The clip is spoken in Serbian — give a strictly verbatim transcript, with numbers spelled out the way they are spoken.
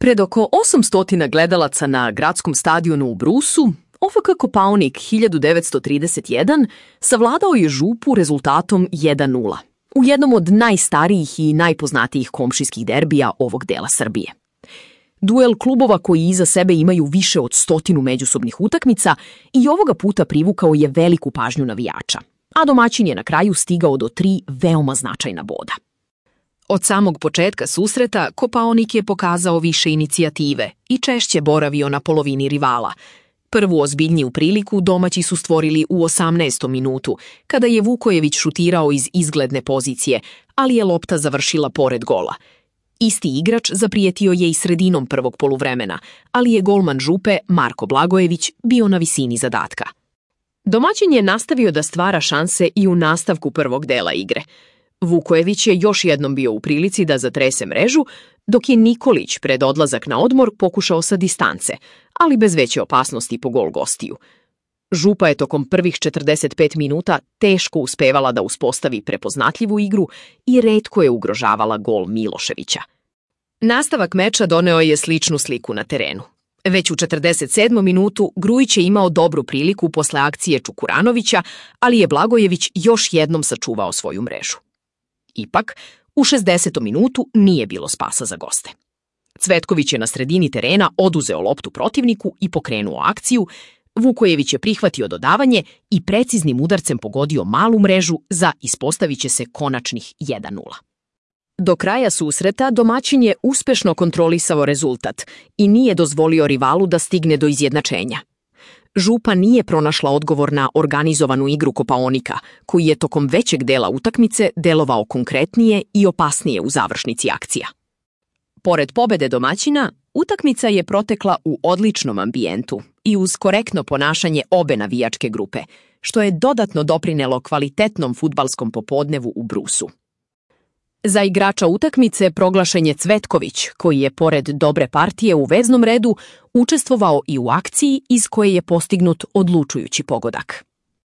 Pred oko osamsto gledalaca na gradskom stadionu u Brusu, O F K Kopaonik hiljadu devetsto trideset jedan savladao je Župu rezultatom jedan nula u jednom od najstarijih i najpoznatijih komšijskih derbija ovog dela Srbije. Duel klubova koji iza sebe imaju više od stotinu međusobnih utakmica i ovoga puta privukao je veliku pažnju navijača, a domaćin je na kraju stigao do tri veoma značajna boda. Od samog početka susreta Kopaonik je pokazao više inicijative i češće boravio na polovini rivala. Prvu ozbiljniju priliku domaći su stvorili u osamnaestom minutu, kada je Vukojević šutirao iz izgledne pozicije, ali je lopta završila pored gola. Isti igrač zaprijetio je i sredinom prvog poluvremena, ali je golman Župe, Marko Blagojević, bio na visini zadatka. Domaćin je nastavio da stvara šanse i u nastavku prvog dela igre. Vukojević je još jednom bio u prilici da zatrese mrežu, dok je Nikolić pred odlazak na odmor pokušao sa distance, ali bez veće opasnosti po gol gostiju. Župa je tokom prvih četrdeset pet minuta teško uspevala da uspostavi prepoznatljivu igru i retko je ugrožavala gol Miloševića. Nastavak meča doneo je sličnu sliku na terenu. Već u četrdeset sedmom minutu Grujić je imao dobru priliku posle akcije Čukuranovića, ali je Blagojević još jednom sačuvao svoju mrežu. Ipak, u šezdesetom minutu nije bilo spasa za goste. Cvetković je na sredini terena oduzeo loptu protivniku i pokrenuo akciju, Vukojević je prihvatio dodavanje i preciznim udarcem pogodio malu mrežu za ispostavit će se konačnih jedan nula. Do kraja susreta domaćin je uspešno kontrolisao rezultat i nije dozvolio rivalu da stigne do izjednačenja. Župa nije pronašla odgovor na organizovanu igru Kopaonika, koji je tokom većeg dela utakmice delovao konkretnije i opasnije u završnici akcija. Pored pobede domaćina, utakmica je protekla u odličnom ambijentu i uz korektno ponašanje obe navijačke grupe, što je dodatno doprinelo kvalitetnom fudbalskom popodnevu u Brusu. Za igrača utakmice proglašen je Cvetković, koji je pored dobre partije u veznom redu učestvovao i u akciji iz koje je postignut odlučujući pogodak.